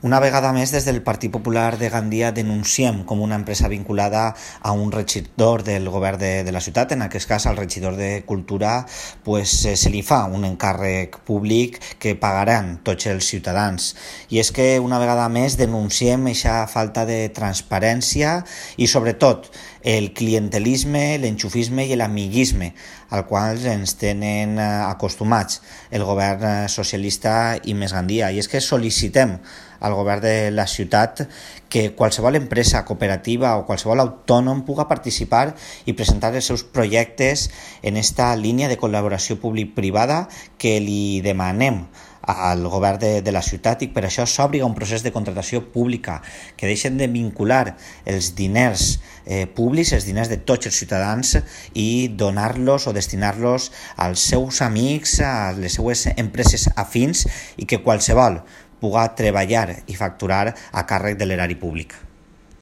Una vegada més, des del Partit Popular de Gandia denunciem com una empresa vinculada a un regidor del govern de la ciutat, en aquest cas al regidor de Cultura, se li fa un encàrrec públic que pagaran tots els ciutadans. I és que una vegada més denunciem aquesta falta de transparència i sobretot el clientelisme, l'enxufisme i l'amiguisme al qual ens tenen acostumats el govern socialista i Més Gandia. I és que sol·licitem al govern de la ciutat que qualsevol empresa cooperativa o qualsevol autònom puga participar i presentar els seus projectes en esta línia de col·laboració públic-privada que li demanem al govern de la ciutat, i per això s'obri un procés de contractació pública, que deixen de vincular els diners públics, els diners de tots els ciutadans, i donar-los o destinar-los als seus amics, a les seues empreses afins, i que qualsevol puga treballar i facturar a càrrec de l'erari públic.